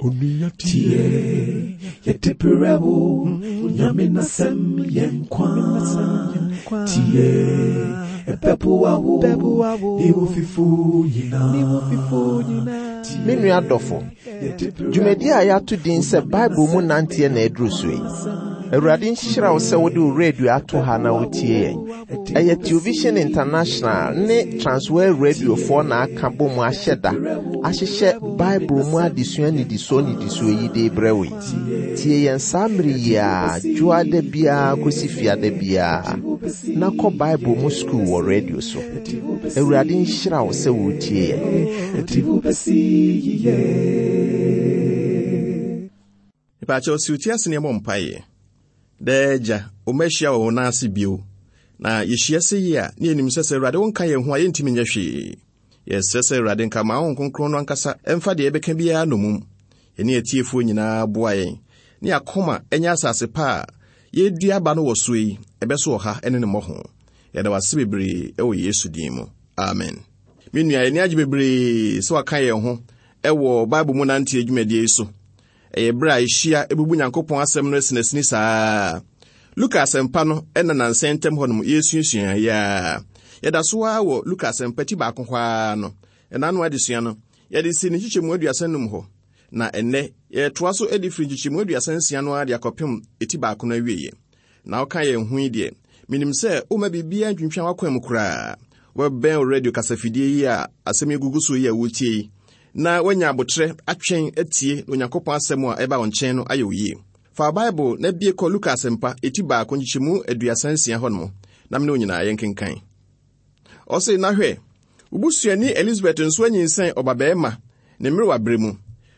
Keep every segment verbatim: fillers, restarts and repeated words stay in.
Onua tie, yɛde brɛ wo, Nyame n'asɛm yɛ nkwa. Tie, ɛbɛboa wo, ne wo fifo nyinaa. Me nua dɔfo, dwumadi a yɛato din sɛ Bible mu nanteɛ na aduru so yi. Awurade nhyira wo sɛ wode wo radio ato ha na wotie yɛn. Ɛyɛ Television International ne Transworld Radiofoɔ na aka bɔ mu ahyɛ da ahyehyɛ Bible mu adesua nnidisoɔ nnidisoɔ yi de brɛ wo yi. Tie yɛn saa mmere yi a dwoada biara kɔsi fiada biara na kɔ Bible mu sukuu wɔ radio so. Awurade nhyira wo sɛ wotie yɛn. Ɛde wo bɛsi yiye. Mepakyɛw si wo ti ase na yɛmmɔ mpaeɛ. Daa Agya, wo mma ahyia wɔ wo nan ase bio. Na yɛhyia sɛ yi a, ne yɛnim sɛ sɛ Awurade wonka yɛn ho a yɛntumi nyɛ hwee. Yɛsrɛ sɛ Awurade nka ma Honhom Kronkron no ankasa ɛmfa deɛ yɛbɛka biara nnommum. Yɛne atiefoɔ nyinaa boa yɛn, ne akoma ɛnyɛ asase pa a yɛdua aba no wɔ so yi, ɛbɛso ɔha ne ne mmɔho. Yɛda wo ase bebree ɛwɔ Yesu din mu. Amen. Me nua, yɛni agye bebree sɛ waka yɛn ho ɛwɔ Bible mu nanteɛ dwumadie yi so. Ɛyɛ berɛ a yɛhyia ebubu Nyankopɔn asɛm no asinasini saa. Luka asɛmpa no ɛna nansa ntam hɔnom yɛsuasua yɛa. Yɛda so ara wɔ Luka asɛmpa ti baako hɔ ara no. Ɛna no adesua no, yɛde si ne nkyekyɛmu aduasa num hɔ. Na ɛnnɛ, yɛtoa so de firi nkyekyɛmu aduasa nsia no ara de akɔpem eti baako no awieeɛ. Na woka yɛn ho yi deɛ, menim sɛ woma biribiara ntwintwan w'akwan mu koraa. Wɔbɛn wo radio kasafidie yi a asɛm yi gugu so yi a wotie yi, na woanya abotrɛ atwɛn atie na Onyankopɔn asɛm a ɛba wo nkyɛn no ayɛ wo yie. Fa Bible na bie kɔ Luka asɛmpa eti baako nkyekyɛmu aduasa nsia hɔnom, na mene wo nyinaa yɛnkenkan. Ɔse, na hwɛ, wo busuani Elisabet nso anyinsɛn ɔbabarima ne mmerewaberɛ mu,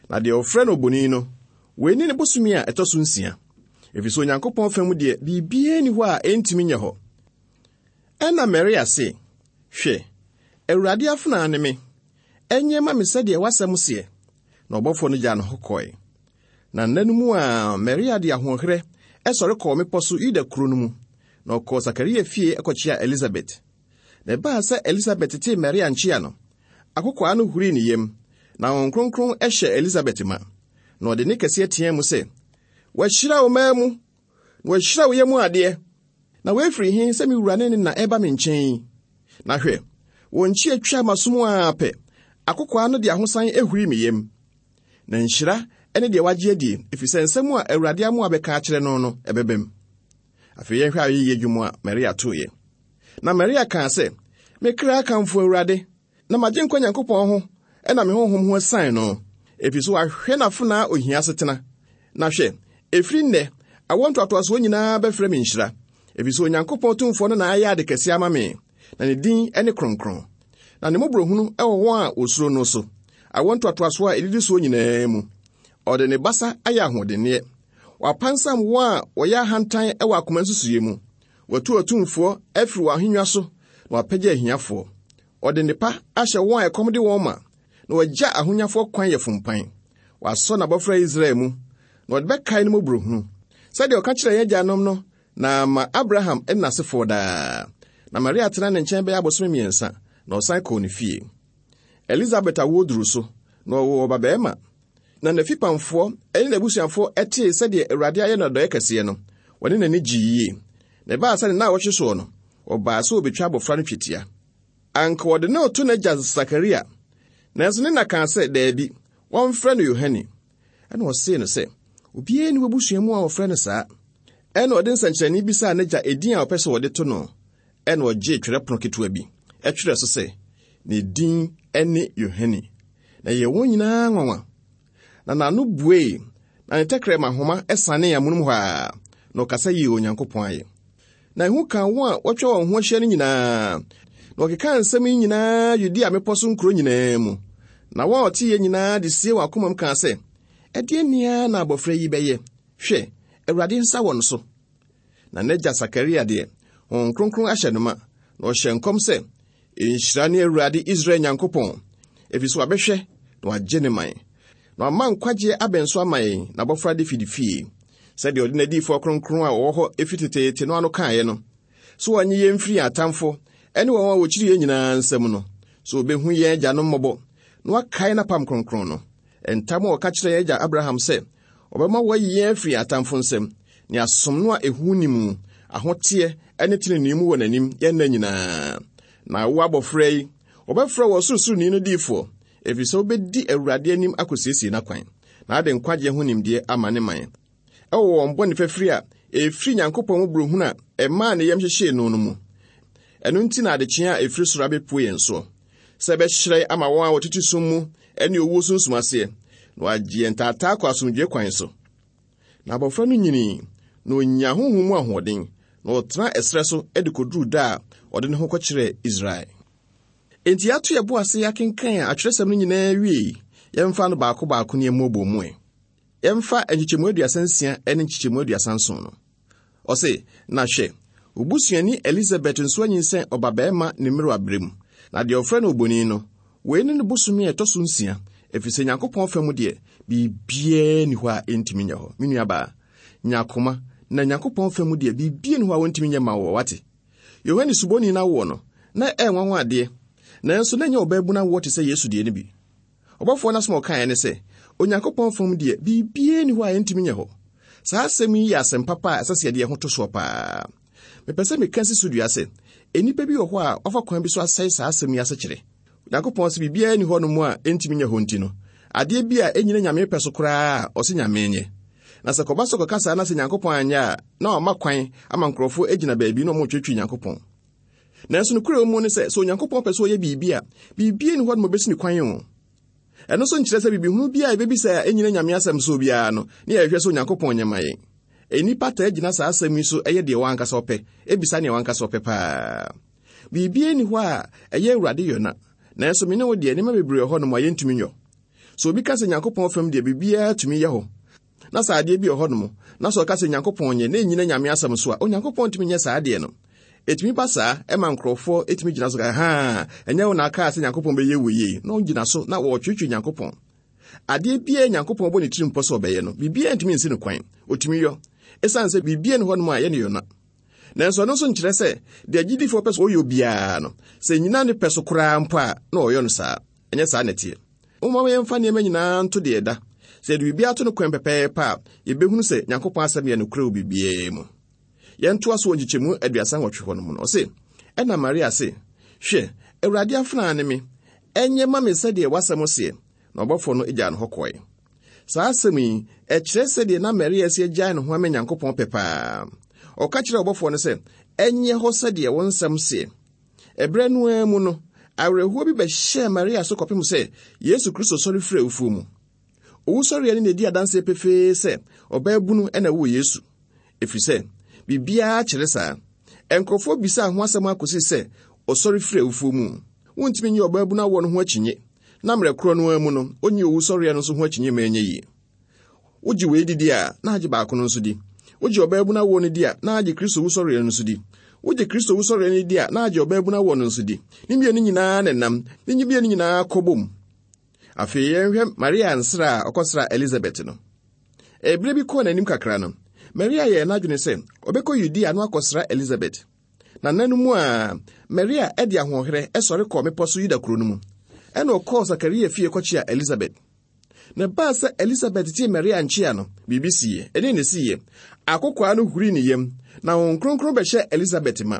na deɛ ɔfrɛ no oboni no, wei ne ne bosome a ɛtɔ so nsia. Ɛfiri sɛ Onyankopɔn fa mu deɛ, biribiara nni hɔ a ɛntumi nyɛ hɔ. Ɛnna Maria se, hwɛ, Awurade afenaa ne me, ɛnyɛ ma me sɛdeɛ w'asɛm seɛ. Na ɔbɔfoɔ no gyaa ne hɔ kɔe. Na nna no mu a Maria de ahoɔherɛ ɛsɔre kɔɔ mmepɔ so Yuda kuro no mu, na ɔkɔɔ Sakaria fie ɛkɔkyea Elisabet. Na ɛbaa sɛ Elisabet tee Maria nkyea no, akokoaa no hurii ne yam, na Honhom Kronkron ɛhyɛ Elisabet ma. Na ɔde ne kɛseɛ teɛ mu sɛ, wɔahyira wo mmaa mu, na wɔahyira wo yam adeɛ. Na woafiri he sɛ me wura ne ne na ɛba me nkyɛn yi? Na hwɛ, wɔn nkyi atwa m'asom ara pɛ, akokoaa no de ahosan ahuri me yam. Na nhyira ne deɛ wagye adie, ɛfiri sɛ nsɛm a Awurade amoa bɛka akyerɛ no no ɛbɛbɛm. Afei yɛnhwɛ ayɛyie dwom a Maria toeɛ. Na Maria kaa sɛ, me kra kamfo Awurade, na magye nkwa Nyankopɔn ho, ɛna me honhom ho asiane no, ɛfiri sɛ wahwɛ n'afenaa ohia asetena. Na hwɛ, ɛfiri nnɛ, awoɔ ntoatoasoɔ nyinaa bɛfrɛ me nhyira, ɛfiri sɛ Onyankopɔn tumfoɔ no na ayɛ ade kɛseɛ ama me, na ne din ne kronkron. Na ne mmɔborɔhunu ɛwɔ wɔn a wɔsuro no so, awoɔ ntoatoasoɔ a ɛdidi soɔ nyinaa mu. Ɔde ne basa ayɛ ahoɔdenneɛ. Wapansam wɔn a wɔyɛ ahantan ɛwɔ akoma nsusuiɛ mu. Watu otumfoɔ afiri wɔn ahennwa so, na wapagya ahiafoɔ. Ɔde nnepa ahyɛ wɔn a ɛkɔm de wɔn ma, na wagya ahonyafoɔ kwan yɛ fompan. Wasɔ n'abɔfra Israel mu, na ɔde bɛkae no mmɔborɔhunu. Sɛdeɛ ɔka kyerɛɛ yɛn agyanom no, na ama Abraham ne n'asefoɔ daa. Na Maria tena ne nkyɛn bɛyɛ abosome mmiɛnsa, na ɔsan kɔɔ ne fie. Elisabet awoɔ duru so, na ɔwoo ɔbabarima. Na n'afipamfoɔ ne n'abusuafoɔ tee sɛdeɛ Awurade ayɛ no adɔeɛ kɛseɛ no, wɔne n'ani gyee yie. Na ɛbaa sɛ ne nnaawɔtwe soɔ no, ɔbaa sɛ obetwa abɔfra no twetia. Anka wɔde no reto n'agya Sakaria, nanso ne na kaa sɛ, daabi, wɔmfrɛ no Yohane. Ɛna ɔsee no sɛ, obiara nni w'abusua mu a wɔfrɛ no saa. Ɛna ɔde nsɛnkyerɛnne bisaa n'agya edin a ɔpɛ sɛ wɔde to no. Ɛna ɔgyee twerɛpono ketewa bi, ɛtwerɛ so sɛ, ne din ne Yohane. Na ɛyɛɛ wɔn nyinaa nwanwa. Na n'ano buee, na ne tɛkrɛma homa ɛsanee amonom hɔ ara, na ɔkasa yii Onyankopɔn ayɛ. Na ehu kaa wɔn a wɔatwa wɔn ho ahyia no nyinaa, na wɔkekaa nsɛm yi nyinaa Yudea mmepɔ so nkuro nyinaa mu. Na wɔn a wɔteeɛ nyinaa de sie wɔn akomam kaa sɛ, ɛdeɛn nea na abɔfra yi bɛyɛ? Hwɛ, Awurade nsa wɔ no so. Na n'agya Sakaria deɛ, Honhom Kronkron ahyɛ no ma, na ɔhyɛ nkɔm sɛ, nhyira ne Awurade Israel Nyankopɔn, ɛfiri sɛ wabɛhwɛ na wagye ne man. Na wama nkwagyeɛ abɛn so ama yɛn n'abɔfra Dawid fie, sɛdeɛ ɔde n'adiyifoɔ kronkron a wɔwɔ hɔ efi teteete no ano kaeɛ no, so wɔnnye yɛn mfiri yɛn atamfo ne wɔn a wɔkyiri yɛn nyinaa nsam no, so wɔbɛhu yɛn agyanom mmɔbɔ, na wakae n'apam kronkron no, Ntam a ɔka kyerɛɛ agya Abraham sɛ, ɔbɛma wɔayi yɛn afiri atamfo nsam, ne asom no a ehu ni mu, ahoteɛ ne tenenee mu wɔ n'anim yɛn nna nyinaa. Na wo abɔfra yi, wɔbɛfrɛ wɔ Ɔsorosoroni no diyifoɔ, ɛfiri sɛ wobɛdi Awurade anim akɔsiesie n'akwan, na ade nkwagyeɛ ho nimdeɛ ama ne man. Ɛwɔ wɔn bɔne fafiri a ɛfiri Nyankopɔn mmɔborɔhunu a ɛmaa ne yam hyehyee no no mu. Ɛno nti na adekyee a ɛfiri soro abɛpue yɛn soɔ, sɛ ɛbɛhyerɛn ama wɔn a wɔtete sum mu ne owuo sunsum aseɛ, na wɔagye yɛn taataa kɔ asomdwoe kwan so. Na abɔfra no nyinii, na onyaa honhom mu ahoɔden, na ɔtena ɛserɛ so de koduruu da a ɔde ne ho kɔkyerɛɛ Israel. Enti yɛato yɛn bo ase akenkan atwerɛsɛm no nyinaa wiei, yɛmfa no baako baako ne yɛmmɔbɔ mu ɛ. Yɛmfa nkyekyɛmu aduasa nsia ne nkyekyɛmu aduasa nson no. Ɔse, na hwɛ, wo busuani Elisabet nso anyinsɛn ɔbabarima ne mmerewaberɛ mu, na deɛ ɔfrɛ no oboni no, wei ne ne bosome a ɛtɔ so nsia, ɛfiri sɛ Nyankopɔn fa mu deɛ, biribiara nni hɔ a ɛntumi nyɛ hɔ. Me nuabaa, nya akoma, na Nyankopɔn fa mu deɛ, biribiara nni hɔ a wɔntumi nyɛ ma wo, wate. Yohane Suboni no awoɔ no, na ɛyɛ nwanwa adeɛ, nanso na ɛnyɛ ɔbaabunu awoɔ te sɛ Yesu deɛ no bi. Ɔbɔfoɔ no asɛm a ɔkaeɛ ne sɛ, Onyankopɔn fam deɛ, biribiara nni hɔ a ɛntumi nyɛ hɔ. Saa asɛm yi yɛ asɛm papa a ɛsɛ sɛ yɛde yɛn ho to soɔ paa. Mepɛ sɛ meka si so dua sɛ, nnipa bi wɔ hɔ a wɔafa kwan bi so asɛe saa asɛm yi asekyerɛ. Onyankopɔn sɛ biribiara nni hɔ nom a ɛntumi nyɛ hɔ nti no, adeɛ bi a ɛnyina Nyame pɛ so koraa a ɔse Nyame nyɛ. Na sɛ kɔba so kɔka saa na sɛ Nyankopɔn anyɛ a, na wama kwan ama nkurɔfoɔ agyina baabi na ɔmo Nyankopɔn. Nanso nokorɛ mu ne sɛ, sɛ Onyankopɔn pɛ sɛ ɔyɛ biribi a, biribiara nni hɔ nom a ɔbɛsi ne kwan o. Ɛno nso nkyerɛ sɛ biribi bi a ɛbɛbisa a ɛnyina Nyame asɛm so biara no, ne yɛhwɛ sɛ Onyankopɔn nyɛ ma yɛn. Nnipa taa gyina saa asɛm yi so ɛyɛ deɛ wɔn ankasa ɔpɛ, ebisa nea wɔn ankasa ɔpɛ paa. Biribiara nni hɔ a ɛyɛ Awurade yɔ na, nanso me ne wo deɛ nneɛma bebree wɔ hɔ nom a yɛntumi nyɔ. Sɛ obi ka sɛ Nyankopɔn fam deɛ biribiara tumi yɛ hɔ, na sɛ adeɛ bi wɔ hɔ nom, na sɛ ɔka sɛ Nyankopɔn nyɛ na ɛnyina Nyame asɛm so a, Onyankopɔn ntumi nyɛ saa adeɛ no. Ɛtumi ba saa ɛma nkurɔfoɔ ɛtumi gyina so ka, ha, ɛnyɛ wo na aka sɛ Nyankopɔn bɛyɛ wo yie, na ɔgyina so na wɔtwetwe Nyankopɔn. Adeɛ biara Nyankopɔn bɔ ne tirim pɔ sɛ ɔbɛyɛ no, biribiara ntumi nsi no kwan, ɔtumi yɔ. Ɛsiane sɛ biribiara nni hɔ nom a ɛyɛ ne yɔ na. Nanso ɔno nso nkyerɛ sɛ deɛ agyidifoɔ pɛ sɛ ɔyɛ obiara no, sɛ nyina ne pɛ so koraa mpo a, na ɔyɔ no saa. Ɛnyɛ saa na ɛteɛ. Momma yɛmfa nneɛma nyinaa nto deɛ ɛda. Sɛ yɛde biribiara to no kwan pɛpɛɛpɛ a, yɛbɛhunu sɛ Nyankopɔn asɛm yɛ nokorɛ wɔ biribiara mu. Yɛntoa so wɔ nkyekyɛmu aduasa nwɔtwe hɔ no mu no, ɔse, ɛna Maria se, hwɛ, Awurade afenaa ne me, ɛnyɛ ma me sɛdeɛ w'asɛm seɛ. Na ɔbɔfoɔ no gyaa no hɔ kɔe. Saa asɛm yi, ɛkyerɛ sɛdeɛ na Maria si agyae ne ho ama Nyankopɔn pɛ paa. Ɔka kyerɛɛ ɔbɔfoɔ no sɛ, ɛnyɛ hɔ sɛdeɛ wo nsɛm seɛ. Ɛberɛ no ara mu no, awerɛhoɔ bi bɛhyɛɛ Maria so kɔpem sɛ Yesu Kristo sɔre firi awufoɔ mu. Owusɔreɛ no na ɛdi adanseɛ pefee sɛ ɔbaabunu na ɛwoo Yesu, ɛfiri sɛ biribiara kyerɛ saa. Nkurɔfoɔ bisaa ho asɛm akɔsi sɛ ɔsɔre firi awufoɔ mu. Wontumi nye ɔbaabunu awoɔ no ho akyinnye, na mmerɛ korɔ no ara mu no, onnye owusɔreɛ no nso ho akyinnye ma ɛnyɛ yie. Wogye wei didi a, na agye baako no nso di. Wogye ɔbaabunu awoɔ no di a, na agye Kristo wusɔreɛ no nso di. Wogye Kristo wusɔreɛ no di a, na agye ɔbaabunu awoɔ no nso di. Ne mmienu nyinaa na ɛnam, ne mmienu nyinaa kɔ bom. Afei yɛnhwɛ Maria nsra a ɔkɔsraa Elizabeth no. Ɛberɛ bi kɔɔ n'anim kakra no, Maria yɛɛ n'adwene sɛ ɔbɛkɔ Yudea na wakɔsra Elizabeth. Na nna no mu a, Maria de ahoɔherɛ sɔre kɔɔ mmepɔ so Yuda kuro no mu. Ɛna ɔkɔɔ Sakaria fie kɔkyea Elizabeth. Na ɛbaa sɛ Elizabeth tee Maria nkyea no, biribi siiɛ. Ɛdeɛn na ɛsiiɛ? Akokoaa no hurii ne yam, na Honhom Kronkron bɛhyɛɛ Elizabeth ma.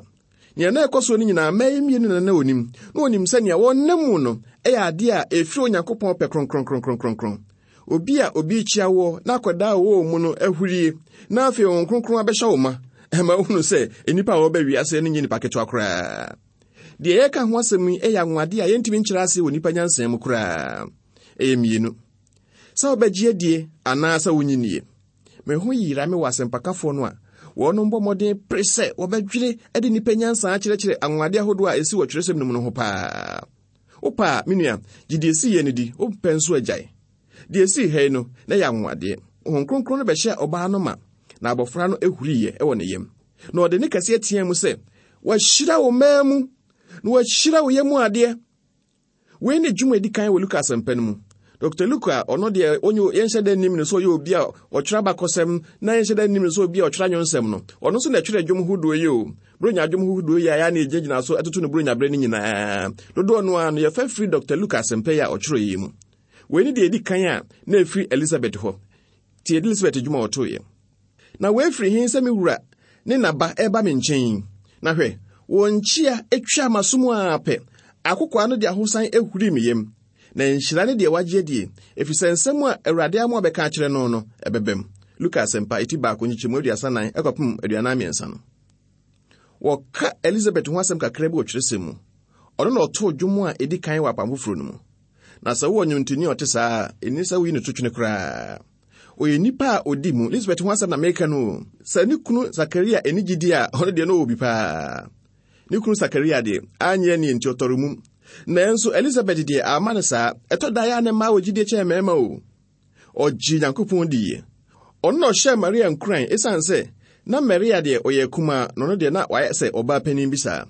Nea na ɛkɔ soɔ no nyinaa, mmaa yi mmienu na na wɔnim. Na wɔnim sɛ nea wɔnam mu no yɛ adeɛ a ɛfiri Onyankopɔn pɛ kronkronkronkronkron. Obi a obi rekyia woɔ na akwadaa a ɔwɔ mu no ahurie, na afei Honhom Kronkron abɛhyɛ wo ma, ɛma wohunu sɛ nnipa a wɔba wiase no nyɛ nnipa ketewa koraa. Deɛ yɛka ho asɛm yi yɛ anwanwadeɛ a yɛntumi nkyerɛ ase wɔ nnipa nyansa mu koraa. Ɛyɛ mmienu. Sɛ wobɛgye adie anaa sɛ wonnye nnie. Me ho yera me wɔ asɛmpakafoɔ no a wɔnom bɔ mmɔden pere sɛ wɔbɛdwene de nnipa nyansa akyerɛkyerɛ anwanwadeɛ ahodoɔ a ɛsi wɔ twerɛsɛm no mu no ho paa. Wopɛ a, me nua, gye deɛ ɛsii yɛ no di, wopɛ nso agyae. Deɛ ɛsii ha yi no, na ɛyɛ anwanwadeɛ. Honhom Kronkron no bɛhyɛɛ ɔbaa no ma, na abɔfra no huriiɛ wɔ ne yam. Na ɔde ne kɛseɛ teaa mu sɛ, wahyira wo mmaa mu, na wahyira wo yam adeɛ. Wei ne dwuma a ɛdi kan wɔ Luka asɛmpa no mu. Doctor Luka, ɔno deɛ ɔnyɛ yɛnhyɛ da nnim no sɛ ɔyɛ obi a ɔtwerɛ abakɔsɛm, na yɛnhyɛ da nnim no sɛ obi a ɔtwerɛ anwonsɛm no. Ɔno nso na ɛtwerɛ dwom hodoɔ yi o. Buronya dwom hodoɔ yi a yɛa na ɛgyinagyina so ɛtoto no buronya berɛ no nyinaa. Dodoɔ no ara no yɛfa firi Doctor Luka asɛmpa yi a ɔtwerɛ yi mu. Wei ne deɛ ɛdi kan a na ɛfiri Elisabeth hɔ. Tie Elisabeth dwuma a ɔtoeɛ. Na weefiri he sɛ me wura ne naba ɛba me nkyɛn. Na hwɛ, wɔn nkyia atwa m'aso mu a pɛ, akokoaa no de ahosan ahuri me yam. Na nhyira ne deɛ wagye adie, ɛfiri sɛ nsɛm a Awurade ama bɛka akyerɛ no no, ɛbɛbɛm. Luka asɛmpa eti baako nkyekyɛmu aduasa nan ɛkɔpem aduanan mmiɛnsa no. Wɔka Elisabeth ho asɛm kakra bi wɔ twerɛsɛm mu. Ɔno na ɔtoo dwom a ɛdi kan wɔ apam foforɔ no mu. Na sɛ wowɔ nnwontoni a ɔte saa a, ɛnni sɛ woyi no to twene koraa. Ɔyɛ nipa a ɔdi mu. Elisabeth ho asɛm na meka no. Sɛ ne kunu Sakaria ani gyidi a, ɔno deɛ no ɔwɔ bi paa. Ne kunu Sakaria deɛ, anyɛ ne nti ɔtɔre mum. Nanso Elisabeth deɛ ama no saa. Ɛtɔ da yɛ a ne mmaa wɔ gyidie kyɛn mmarima o. Ɔgye Nyankopɔn diiɛ. Ɔno na ɔhyɛɛ Maria nkuran ɛsiane sɛ na Maria deɛ ɔyɛ akumaa na ɔno deɛ na wayɛ sɛ ɔbaa panin bi saa.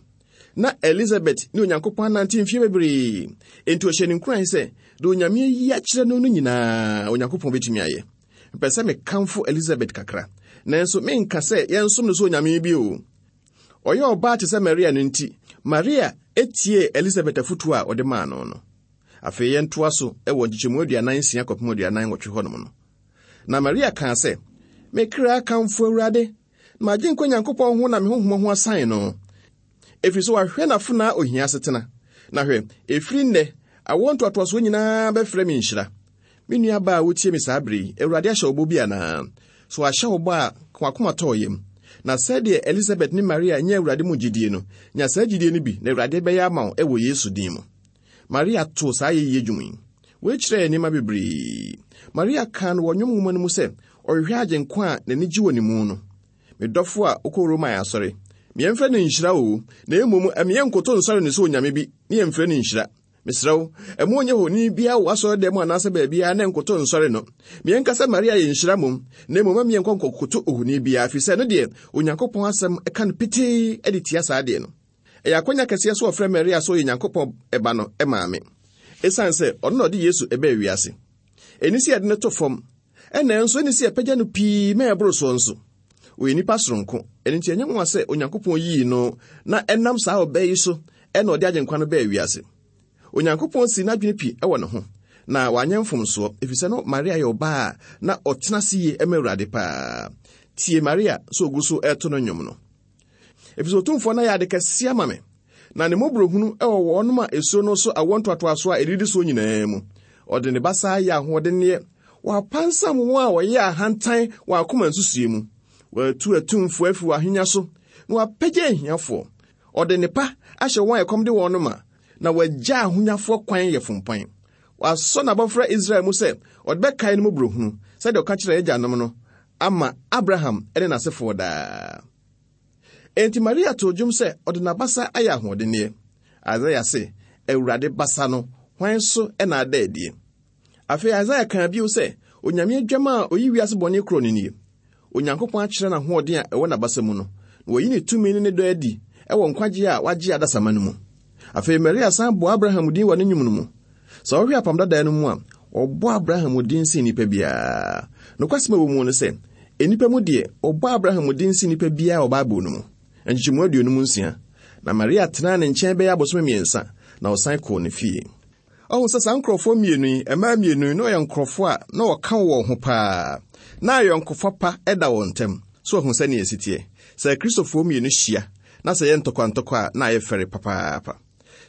Na Elisabeth ne Onyankopɔn anante mfeɛ bebree. Enti ɔhyɛ ne nkuran sɛ deɛ Onyame ayi akyerɛ no no nyinaa Onyankopɔn bɛtumi ayɛ. Mpɛ sɛ mekamfo Elisabeth kakra. Nanso menka sɛ yɛnsom no sɛ Onyame bi o. Ɔyɛ ɔbaa te sɛ Maria no nti, Maria etie Elisabeth afotuo a ɔde maa no no. Afei yɛntoa so ɛwɔ nkyekyɛmu aduanan nsia kɔpem aduanan nwɔtwe hɔnom no. Na Maria kaa sɛ, me kra kamfo Awurade, na magye nkwa Nyankopɔn ho na me honhom ho asan no. Ɛfiri sɛ wahwɛ n'afenaa ohia asetena. Na hwɛ, ɛfiri nnɛ, awoɔ ntoatoasoɔ nyinaa bɛfrɛ me nhyira. Me nua baa a wotie me saa bere yi, Awurade ahyɛ wo bɔ bi anaa? So wahyɛ wo bɔ a, ka w'akoma tɔɔ yam. Na sɛdeɛ Elisabeth ne Maria nyɛ Awurade mu gyidie no, nya saa gyidie no bi na Awurade bɛyɛ ama wo ɛwɔ Yesu din mu. Maria too saa ayɛyie dwom yi. Wei kyerɛɛ nneɛma bebree. Maria kaa no wɔ nnwom nwoma no mu sɛ ɔhwehwɛ agyenkwa a n'ani gye wɔ ne mu no. Me dɔfo a wokɔ Roma asɔre, meɛmfrɛ no nhyira o, na mmom ɛmeɛ nkoto nsɔre no sɛ onyame bi, ne yɛmfrɛ no nhyira. Mesrɛ wo, ɛmo onyɛ honi biara wɔ asɔre dɛm anaasɛ baabiara na nkoto nsɔre no. Meɛnka sɛ Maria yɛ nhyira mmom, na mmom ɛmeɛ nkɔ nkɔkoto ohoni biara, ɛfiri sɛ no deɛ Onyankopɔn asɛm ɛka no petee de tia saa deɛ no. Ɛyɛ akwanya kɛseɛ so ɔfrɛ Maria sɛ ɔyɛ Nyankopɔn ɛba no ɛmaame. Ɛsiane sɛ ɔno na ɔde Yesu ɛbɛɛ wiase. Ɛni sɛ yɛde no to fam, ɛna nso ɛni sɛ yɛpɛgya no pii ma ɛboro soɔ nso. Ɔyɛ nipa soronko, ɛno nti ɛnyɛ nwanwa sɛ Onyankopɔn yii no na ɛnam saa ɔbaa yi so ɛna ɔde agyenkwa no bɛɛ wiase. Onyankopɔn si n'adwene pi ɛwɔ ne ho, na wanyɛ mfomsoɔ, ɛfiri sɛ no Maria yɛ ɔbaa a na ɔtena ase yie ɛma Awurade paa. Tie Maria sɛ ogu so ɛreto no nnwom no. Ɛfiri sɛ Otumfoɔ no ayɛ ade kɛseɛ ama me, na ne mmɔborɔhunu ɛwɔ wɔnom a esuro no so awoɔ ntoatoasoɔ a ɛdidi soɔ nyinaa mu. Ɔde ne basa ayɛ ahoɔdenneɛ. Wapansam wɔn a wɔyɛ ahantan wɔ akoma nsusuiɛ mu. Watu atumfoɔ afi wɔ ahenya so, na wapagya ahiafoɔ. Ɔde ne pa ahyɛ wɔn a ɛkɔm de wɔn no ma, na wagya ahonyafoɔ kwan yɛ fompan. Wasɔ n'abɔfra Israel mu sɛ ɔde bɛkae no mmɔborɔhunu, sɛdeɛ ɔka kyerɛɛ agyanom no, ama Abraham ne n'asefoɔ daa. Enti Maria too dwom sɛ ɔde n'abasa ayɛ ahoɔdenneɛ. Isaia se, Awurade basa no, hwan so na ada adie? Afei Isaia kaa bio sɛ, Onyame adwama a oyi wiase bɔne korɔ no nie. Onyankopɔn akyerɛ n'ahoɔden a ɛwɔ n'abasa mu no, na wayi ne tumi ne ne dɔ adi ɛwɔ nkwagye a wagye adasamma no mu. Afei Maria san bɔ Abraham din wɔ ne nnwom no mu. Sɛ wohwɛ apam dadaa no mu a, ɔbɔ Abraham din sen nnipa biara. Nokwasɛm a ɛwɔ mu ne sɛ, nnipa mu deɛ, ɔbɔ Abraham din sen nnipa biara wɔ Bible no mu. Nkyekyɛmu aduonum nsia. Na Maria tenaa ne nkyɛn bɛyɛ abosome mmiɛnsa, na ɔsan kɔɔ ne fie. Ɔhu sɛ saa nkurɔfoɔ mmienu yi, mmaa mmienu yi, na ɔyɛ nkurɔfoɔ a na wɔka wɔn ho paa. Na ayɔnkofa pa ɛda wɔn ntam. So ɔhu sɛnea esi teɛ. Sɛ Akristofoɔ mmienu hyia, na sɛ ɛyɛ ntɔkwa a, na ayɛ fɛre papaapa.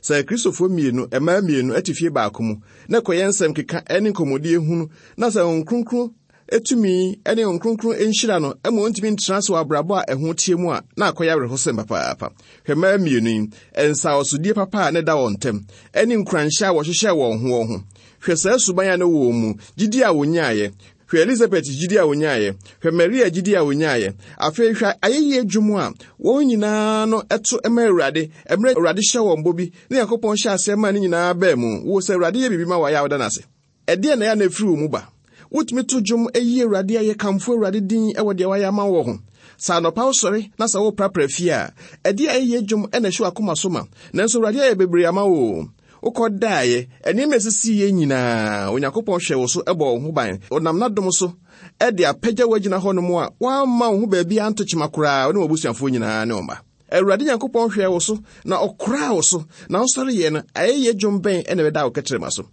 Sɛ Akristofoɔ mmienu, mmaa mmienu ɛte fie baako mu, na ɛkɔyɛ nsɛm keka ɛne nkɔmmɔdie hunu, na sɛ Honhom Kronkron etumi ɛne Honhom Kronkron nhyira no, ɛma wɔntumi ntena ase wɔ abrabɔ a ɛho teɛ mu a, na akɔyɛ awerɛhosɛm papaapa. Hwɛ mmaa mmienu yi, nsaawɔsodie papa a ne da wɔn ntam, ɛne nkuranhyɛ a wɔhyehyɛ wɔn ho wɔn ho. Hwɛ saa suban a ne wɔ wɔn mu, gyidie a wɔnyaeɛ. Hwɛ Elizabeth gyidie a wɔnyaeɛ. Hwɛ Maria gyidie a wɔnyaeɛ. Afei hwɛ ayɛyie dwom a wɔn nyinaa no ɛto ma Awurade. Ɛmmerɛ Awurade hyɛ wɔn bɔ bi, na Nyankopɔn hyɛ aseɛ ma ne nyinaa bɛɛ mu. Wo sɛ Awurade yɛ biribi ma wɔayɛ a woda no ase. Ɛdeɛn na ɛyɛ na ɛfiri wo mu ba? Wotumi to dwom ayi Awurade ayɛ, kamfo Awurade din ɛwɔ deɛ wayɛ ama wɔ ho. Sɛ anɔpa wosɔre na sɛ woprapra fie a, ɛdeɛ a ɛyɛ dwom ɛna ɛhyɛ w'akoma so ma. Nanso Awurade ayɛ bebree ama wo. Wokɔ daeɛ, nneɛma esisi yɛ nyinaa, Onyankopɔn hwɛ wo so ɛbɔ wo ho ban. Ɔnam n'adom so ɛde apagya wo agyina hɔnom a wamma wo ho baabi anto kyema koraa, wo ne w'abusuafoɔ nyinaa ne wo mma. Awurade Nyankopɔn hwɛ wo so na ɔkoraa wo so, na wosɔre yɛ no, ayɛyɛ dwom bɛn ɛna ɛbɛda wo kɛtrɛma so.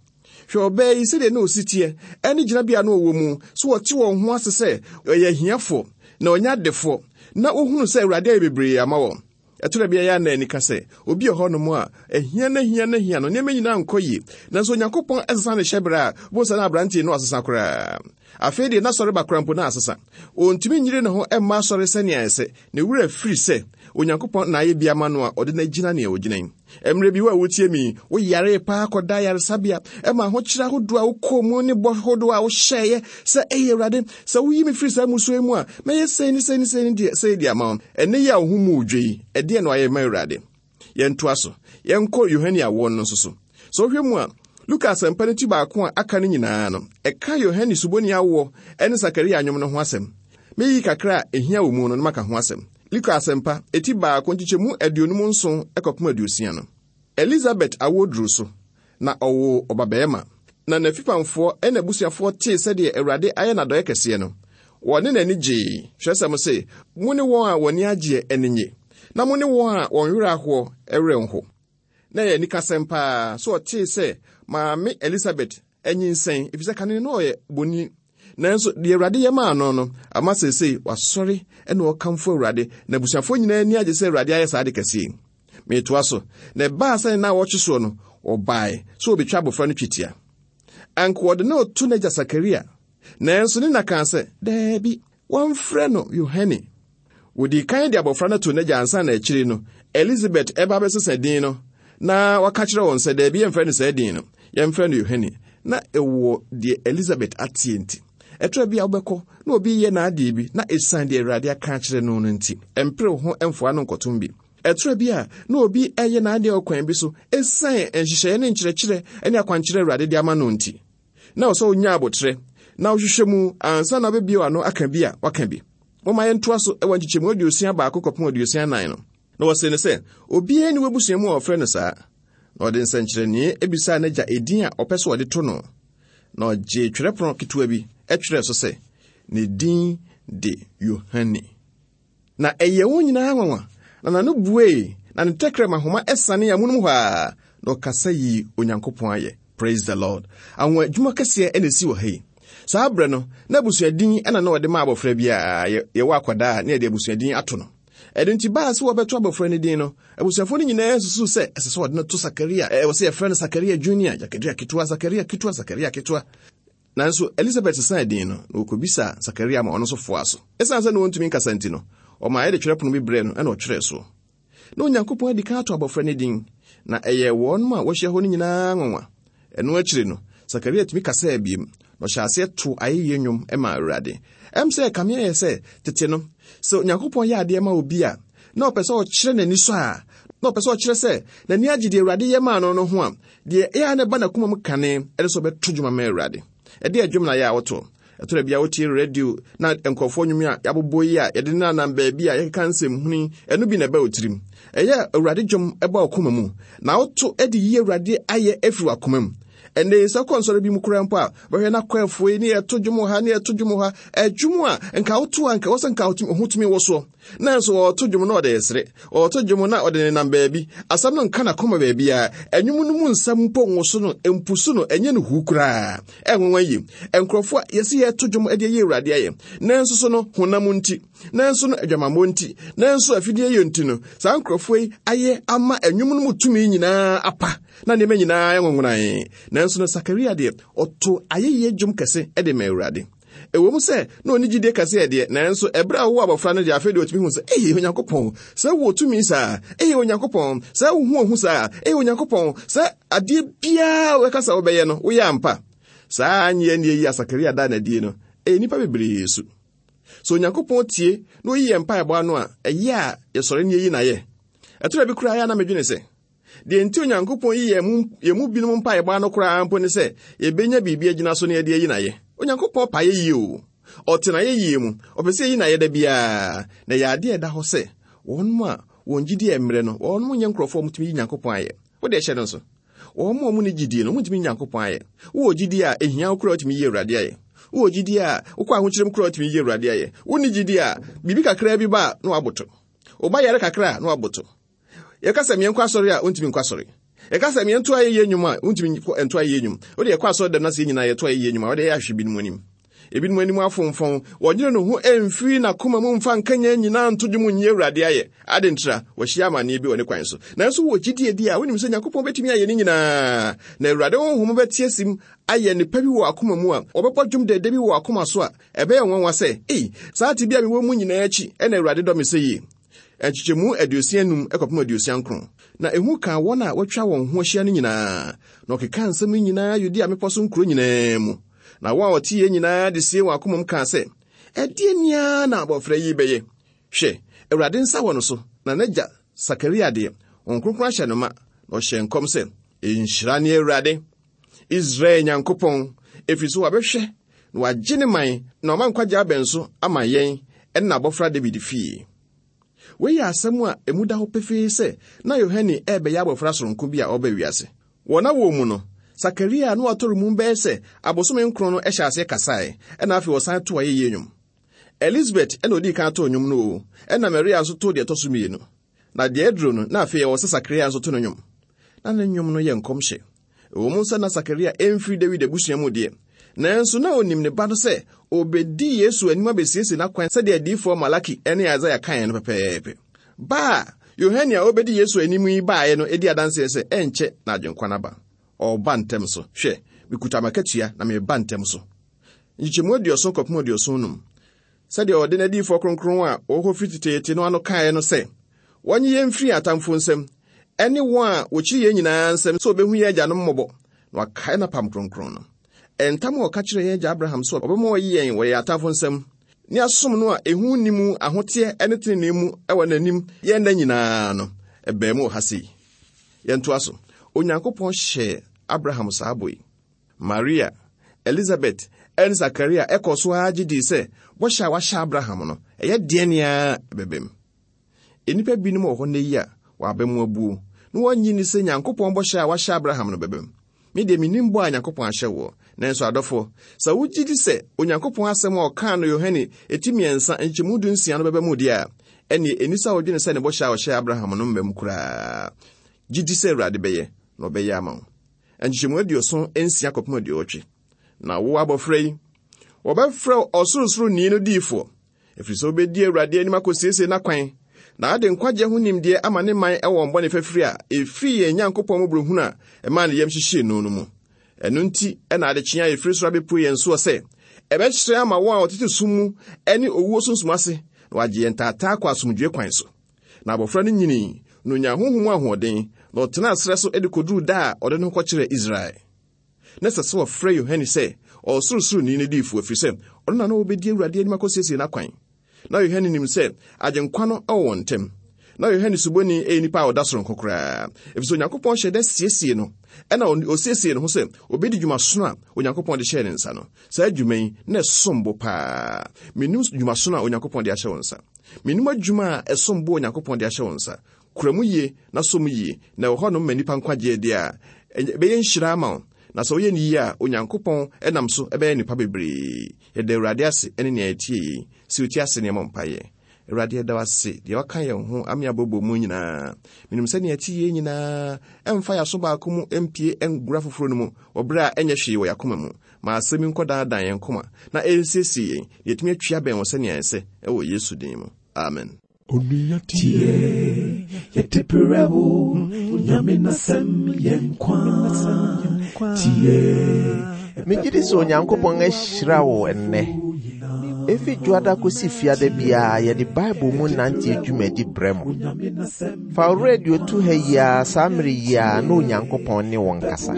Hwɛ ɔbaa yi sɛdeɛ na osi teɛ, ɛne gyinabea no ɔwɔ mu, so wɔte wɔn ho ase sɛ ɔyɛ ahiafoɔ na ɔnyɛ adefoɔ, na wohunu sɛ Awurade ayɛ bebree ama wɔn. Ɛtɔ bi a na ani ka sɛ obi wɔ hɔnom a ahia na hia na hia no nneɛma nyinaa nkɔ yie, nanso Onyankopɔn ɛsesa ne hyɛberɛ a wobɛhu sɛ na aberanteɛ no asesa koraa. Afei deɛ n'asɔre ba koraa mpo na asesa. Ɔntumi nyere ne ho ɛmma asɔre sɛnea ɛsɛ. Ne werɛ firi sɛ Onyankopɔn na ayɛ bi ama no a ɔde no agyina nea ɔgyina yi. Mmerɛ bi wo a wotie mi, woyare paa kɔda yaresabea, ɛma ahokyerɛ ahodoɔ a wokɔɔ mu ne bɔ ahodoɔ a wohyɛeɛ sɛ ɛyɛ Awurade, sɛ woyi me firi saa mmusuo yi mu a, mɛyɛ sei ne sei ne sei ne deɛ sei de ama wo. Ɛnnɛ yi a wo ho mu wo dwe yi, ɛdeɛ na wayɛ ma Awurade? Yɛntoa so. Yɛnkɔ Yohane awoɔ no nso so. Sɛ wohwɛ mu a, Luka asɛmpa no ti baako a aka no nyinaa no, ɛka Yohane Suboni awoɔ ne Sakaria nnwom no ho asɛm. Meyi kakra a ehia wɔ mu no na maka ho asɛm. Luka asɛmpa eti baako nkyekyɛmu aduonum nson kɔpem aduosia no. Elizabeth awoɔ duru so, na ɔwoo ɔbabarima. Na n'afipamfoɔ ne n'abusuafoɔ tee sɛdeɛ Awurade ayɛ n'adɔeɛ kɛseɛ no, wɔne n'ani gyee. Twerɛsɛm se, mo ne wɔn a wɔn ani agyeɛ ani nnye, na mo ne wɔn a wɔn werɛ ahoɔ werɛ nho. Na ɛyɛ anikasɛm paa so ɔtee sɛ maame Elizabeth anyinsɛn, efisɛ kane no ɔyɛ boni. Nanso deɛ Awurade yɛ maa no no, ama seesei wasɔre na ɔkamfo Awurade, na abusuafoɔ nyinaa ani agye sɛ Awurade ayɛ saa ade kɛseɛ yi. Metoa so. Na ɛbaa sɛ ne naawɔtwe soɔ no, ɔbae sɛ obetwa abɔfra no twetia. Anka wɔde no reto n'agya Sakaria, nanso ne na kaa sɛ, daabi, wɔmfrɛ no Yohane. Wodii kan de abɔfra no too n'agya ansa na akyiri no, Elizabeth ɛba bɛsesa din no, na waka kyerɛ wɔn sɛ daabi, yɛmfrɛ no saa din no, yɛmfrɛ no Yohane. Na ɛwɔ deɛ Elizabeth ateɛ nti. Ɛtɔ bi a wobɛkɔ na obi yɛ n'adeɛ bi na ɛsiane deɛ Awurade aka akyerɛ no no nti, ɛmpere wo ho ɛmfoa no nkɔtom bi. Ɛtɔ bi a na obi ɛyɛ n'adeɛ wɔ kwan bi so ɛsiane nhyehyɛeɛ ne nkyerɛkyerɛ ne akwankyerɛ Awurade de ama no nti. Na ɔsɛ wonya abotrɛ na wohwehwɛ mu ansa na wobɛbie w'ano aka bi a waka bi. Momma yɛntoa so ɛwɔ nkyekyɛmu aduosia baako kɔpem aduosia nan no. Na wɔsee no sɛ, obiara nni w'abusua mu a wɔfrɛ no saa. Na ɔde nsɛnkyerɛnneɛ ebisaa n'agya edin a ɔpɛ sɛ ɔde to no. Na ɔgyee twerɛpono ketewa bi ɛtwerɛɛ so sɛ, ne din de Yohane. Na ɛyɛ wɔn nyinaa nwanwa, na n'ano buee, na ne tɛkrɛma homa ɛsane amonom hɔ ara, na ɔkasa yii Onyankopɔn ayɛ. Praise the Lord. Anwa adwuma kɛseɛ ɛna esi wɔ ha yi. Saa berɛ no, na abusuadin ɛna na wɔde ma abɔfra biara, yɛwɔ akwadaa a na yɛde abusuadin ato no. Ɛno nti baa sɛ wɔbɛto abɔfra no din no, abusuafoɔ no nyinaa susuw sɛ ɛsɛ sɛ wɔde no to Sakaria. Ɛwɔ sɛ yɛfrɛ no Sakaria Junior, Sakaria ketewa, Sakaria ketewa, Sakaria ketewa. Nanso Elizabeth sesaa din no, na wɔkɔbisaa Sakaria ma ɔno nso foaa so. Ɛsiane sɛ na wɔntumi nkasa nti no, ɔmaa yɛde twerɛpono bi brɛɛ no ɛna ɔtwerɛɛ so. Na Onyankopɔn adi kan ato abɔfra no din, na ɛyɛɛ wɔn a wɔahyia hɔ no nyinaa nwanwa. Ɛno akyiri no, Sakaria tumi kasaa biem, na ɔhyɛ aseɛ to ayɛyie nnwom maa Awurade. Ɛm sɛ ɛkame ayɛ sɛ tete no, sɛ Onyankopɔn yɛ adeɛ ma obi a, na ɔpɛ sɛ ɔkyerɛ n'ani so a, na ɔpɛ sɛ ɔkyerɛ sɛ n'ani agye deɛ Awurade yɛ maa no no ho a, deɛ ɛyɛ a na ɛba n'akoma mu kane ɛne sɛ ɔbɛto dwom ama Awurade. Ɛdeɛ adwom na yɛ a wɔto. Ɛtɔ bi a wotie radio na nkurɔfoɔ nnwom a yɛabobɔ yi a yɛde nenam baabi a yɛkeka nsɛm hunu yi, ɛno bi na ɛba wo tirim. Ɛyɛ Awurade dwom ɛba wo koma mu, na woto de yi Awurade ayɛ afiri w'akoma mu. Ɛnnɛ yi sɛ wokɔ nsɔre bi mu koraa mpo a, bɛhwɛ na kɔɛfoɔ yi ne yɛto dwom wɔ ha ne yɛto dwom wɔ ha. Ɛdwom a nka woto a nka wɔ sɛ nka ho tumi wɔ soɔ. Nanso wɔto dwom na ɔde resere, wɔto dwom na ɔde nenam baabi. Asɛm no nka n'akoma baabiara. Ɛnwom no mu nsɛm mpo nwoso no, mpusu no, ɛnyɛ no hu koraa. Ɛnwanwa yie. Nkurɔfoɔ a yɛsi yɛto dwom de ayi Awurade ayɛ. Nanso so no honam nti, nanso no adwamammɔ nti, nanso afidie yɛ nti no, saa nkurɔfoɔ yi ayɛ ama ɛnwom no mu tumi nyinaa apa, na nneɛma nyinaa yɛ nwonwonae. Nanso no Sakaria deɛ, ɔto ayɛyie dwom kɛse de ma Awurade. Ɛwɔ mu sɛ na ɔni gyidie kɛse deɛ, nanso ɛberɛ a ɔwɔ abɔfra no deɛ, afei deɛ ɔtumi hu sɛ, ɛyɛ Onyankopɔn, sɛ wowɔ tumi saa, ɛyɛ Onyankopɔn, sɛ wohu ohu saa, ɛyɛ Onyankopɔn, sɛ adeɛ biara wɔka sɛ wobɛyɛ no, woyɛ ampa. Saa anyɛ nneɛ yi a Sakaria da n'adie no, ɛyɛ nnipa bebree su. So Onyankopɔn tie na oyi yɛn mpaebɔ ano a, ɛyɛ a yɛsɔre ne yɛyi n'ayɛ. Ɛtɔ bi koraa yɛ a na medwene sɛ, deɛ nti Onyankopɔn yi yɛn mu, yɛn mu binom mpaebɔ ano koraa mpo ne sɛ yɛbɛnya biribi agyina so na yɛde ayi n'ayɛ. Onyankopɔn pa yɛ yie o. Ɔte n'ayɛ yie mu. Ɔpɛ sɛ yɛyi n'ayɛ da biara. Na ɛyɛ adeɛ a ɛda hɔ sɛ wɔn a wɔn gyidie mmerɛ no, wɔn nyɛ nkurɔfoɔ a wɔtumi yi Nyankopɔn ayɛ. Wode ɛhyɛ no nso. Wɔn a wɔn ne gyidie no, wɔntumi Nyankopɔn ayɛ. Wowɔ gyidie a ehia wo koraa wotumi yi Awurade ayɛ. Wowɔ gyidie a wokɔ ahokyerɛ mu koraa wotumi yi Awurade ayɛ. Wonni gyidie a biribi kakraa bi ba a na waboto. Wo ba yare kakra a na waboto. Yɛka sɛ meɛnkɔ asɔre a wontumi nkɔ asɔre. Yɛka sɛ yɛnto ayɛyie nnwom a, wontumi nto ayɛyie nnwom. Wode yɛkɔ asɔre dɛm na sɛ yɛn nyinaa yɛto ayɛyie nnwom a, wode yɛ ahwɛ binom anim. Ebinom anim afomfɔn, wɔdwene ne ho ɛmfiri n'akoma mu mfa nkanya nyinaa nto dwom nyi Awurade ayɛ. Ade ntira, wɔahyia amanneɛ bi wɔ ne kwan so. Nanso wɔ gyidie di a, wonim sɛ Nyankopɔn bɛtumi ayɛ ne nyinaa. Na Awurade honhom bɛte asim ayɛ nnepa bi wɔ akoma mu a, wɔbɛbɔ dwom dɛdɛ bi wɔ akoma so a, ɛbɛyɛ nwanwa sɛ, ei, saa te bi a mewɔ mu nyinaa akyi, ɛna Awurade dɔ me sɛ yie. Nkyekyɛmu aduosia num kɔpem aduosia nkron. Na ehu kaa wɔn a wɔatwa wɔn ho ahyia no nyinaa, na ɔkeka nsɛm yi nyinaa Yudea mmepɔ so nkuro nyinaa mu. Na wɔn a wɔte yɛn nyinaa de sie wɔn akoma mu kaa sɛ, ɛdeɛ nia na abɔfra yi bɛyɛ? Hwɛ, Awurade nsa wɔ no so, na n'agya Sakaria deɛ, Honhom Kronkron ahyɛ no ma, na ɔhyɛ nkɔm sɛ, nhyira ne Awurade, Israel Nyankopɔn, ɛfiri so wabɛhwɛ na wagye ne man, na ɔma nkwagye abɛn so ama yɛn, ɛne n'abɔfra David fie. Wei yɛ asɛm a emu da hɔ pefee sɛ na Yohane ɛrebɛyɛ abɔfra soronko bi a ɔreba wiase. Wɔ n'awo mu no, Sakaria a na watɔre mu bɛyɛ sɛ abosome nkron no hyɛ aseɛ kasae, ɛna afei ɔsan too ayɛyie nnwom. Elizabeth ɛna odii kan too nnwom no o, ɛna Maria nso too deɛ ɛtɔ so mmienu. Na deɛ aduro no, na afei ɛwɔ sɛ Sakaria nso to no nnwom. Na ne nnwom no yɛ nkɔmhyɛ. Ɛwɔ mu sɛ na Sakaria ɛmfiri Dawid abusua mu deɛ, nanso na onim ne ba no sɛ obedi Yesu anim abɛsiesie n'akwan sɛdeɛ adiyifoɔ Malaki ne Isaia kaeɛ no pɛpɛɛpɛ. Ba a Yohane a obedi Yesu anim yi baeɛ no edi adanseɛ sɛ ɛnkyɛ na agyenkwa no aba. Ɔreba ntɛm so. Hwɛ, mekuta m'akatua na mereba ntɛm so. Nkyekyɛmu aduɔson kɔpem aduɔson num. Sɛdeɛ ɔde n'adiyifoɔ kronkron a wɔwɔ hɔ firi teteete no ano kaeɛ no sɛ, wɔnye yɛn mfiri atamfo nsam, ɛne wɔn a wɔkyiri yɛn nyinaa nsam sɛ wɔbɛhu yɛn agyanom mmɔbɔ, na wɔakae n'apam kronkron no. Ɛntam a ɔka kyerɛɛ yɛn agya Abraham sɛ ɔbɛma ɔyi yɛn wɔ yɛn atamfo nsam, ne asom no a ehu nni mu ahoteɛ ne tenenee mu wɔ n'anim yɛn nna nyinaa no, ɛbɛn mu wɔ ha sei. Yɛntoa so. Onyankopɔn hyɛɛ Abraham saa bɔ yi. Maria, Elizabeth, ɛne Sakaria ɛkɔ so ara gye dii sɛ bɔhyɛ a wahyɛ Abraham no, ɛyɛ deɛ nea ɛbɛbɛm. Nnipa binom wɔ hɔ nnɛ yi a wɔaba mu abuo, na wɔnnye nni sɛ Nyankopɔn bɔhyɛ a wahyɛ Abraham no bɛbɛm. Me deɛ mennim bɔ a Nyankopɔn ahyɛ woɔ. Nanso adɔfoɔ, sɛ wogye di sɛ Onyankopɔn asɛm a ɔkaa no Yohane eti mmiɛnsa nkyɛmu du nsia no bɛbɛ mu deɛ a, ɛneɛ ɛni sɛ wodwene sɛ ne bɔhyɛ a ɔhyɛɛ Abraham no mma mu koraa. Gye di sɛ Awurade bɛyɛ, na ɔbɛyɛ ama wo. Nkyekyɛmu aduɔson nsia kɔpem aduɔwɔtwe. Na wo abɔfra yi, wɔbɛfrɛ wo Ɔsorosoroni no diyifoɔ, ɛfiri sɛ wobɛdi Awurade anim akɔsiesie n'akwan, na ade nkwagye ho nimdeɛ ama ne man ɛwɔ wɔn bɔne fafiri a ɛfiri yɛn Nyankopɔn mmɔborɔhunu a ɛmaa ne yam hyehyee no no mu. Ɛno nti ɛna adekyee a ɛfiri soro abɛpue yɛn soɔ sɛ ɛbɛhyerɛn ama wɔn a wɔtete sum mu ne owuo sunsum ase, na wɔagye yɛn taataa kɔ asomdwoe kwan so. Na abɔfra no nyinii, na onyaa honhom mu ahoɔden, na ɔtenaa serɛ so de kɔduruu da a ɔde ne ho kɔkyerɛɛ Israel. Na ɛsɛ sɛ wɔfrɛ Yohane sɛ Ɔsorosoroni no diyifoɔ, ɛfiri sɛ ɔno na na ɔbɛdi Awurade anim akɔsiesie n'akwan. Na Yohane nim sɛ agyenkwa no wɔ wɔn ntam. Na Yohane Suboni yɛ nipa a ɔda soronko koraa, ɛfiri sɛ Onyankopɔn hyɛ da siesie no, ɛna ɔsiesie ne ho sɛ obɛdi dwumasono a Onyankopɔn de hyɛɛ ne nsa no. Saa adwuma yi na ɛsom bo paa. Menim dwumasono a Onyankopɔn de ahyɛ wo nsa. Menim adwuma a ɛsom bo Onyankopɔn de ahyɛ wo nsa. Kura mu yie na som yie, na ɛwɔ hɔnom ma nnipa nkwagyeɛ deɛ a, ɛbɛyɛ nhyira ama wo. Na sɛ woyɛ no yie a, Onyankopɔn nam so ɛbɛyɛ nnipa bebree. Yɛda Awurade ase ne nea yɛtie yi. Si wo ti ase ne yɛmmɔ mpaeɛ. Awurade, yɛda wo ase deɛ waka yɛn ho ame abɔbɔ mu nyinaa. Menim sɛ nea ɛte yie nyinaa ɛmfa yɛn aso baako mu mpie ngura foforɔ no mu wɔ berɛ a ɛnyɛ hwee wɔ yɛn akoma mu. Ma asɛm yi nkɔdaadaa yɛn koma na ɛnsiesie yɛn, na yɛtumi atwi abɛn wɔ sɛnea ɛsɛ ɛwɔ Yesu din mu. Amen. Onua tie, yɛde brɛ wo, Onyame n'asɛm yɛ nkwa. Tie. Megye di sɛ Onyankopɔn ahyira wo ɛnnɛ. Efi dwoada kosi fiada biara yɛde Bible mu nante dwumadi brɛ mo. Fa wo radio to ha yi ara saa mmere yi ara na Onyankopɔn ne wo nkasa.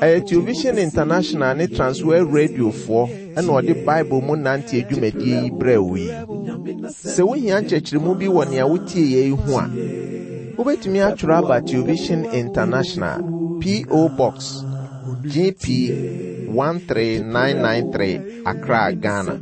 Ɛyɛ Television International ne Transworld Radiofoɔ ɛna ɔde Bible mu nante dwumadie yi brɛ wo yi. Sɛ wohia nkyerɛkyerɛmu bi wɔ nea wotie yɛ yi ho a, wobɛtumi atwerɛ aba Television International, P O. Box G P one three nine nine three, Accra, Ghana.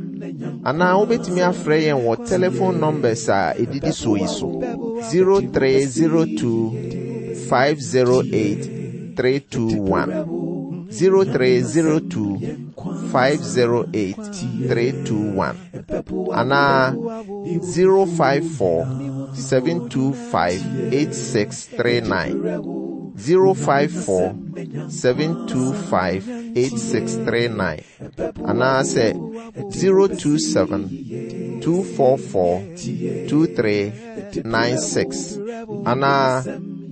Anaa wobɛtumi afrɛ yɛn wɔ telephone numbers a ɛdidi soɔ yi so: zero three zero two five zero eight three two one, zero three zero two five zero eight three two one, anaa zero five four seven two five eight six three nine, zero five four seven two five eight six three nine anaasɛ zero two seven two four four two three nine six anaa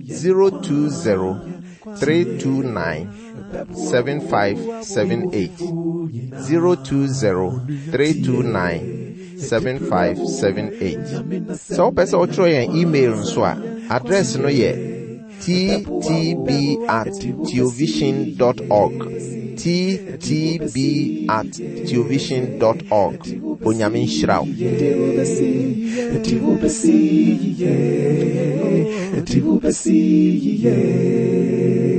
zero two zero three two nine seven five seven eight zero two zero three two nine seven five seven eight. Sɛ wopɛ sɛ wotwerɛ yɛn email nso a, address no yɛ ttb at theovision dot org ttb at theovision dot org. Onyame nhyira wo. Yɛde wo bɛsi, yɛde wo bɛsi, yɛ.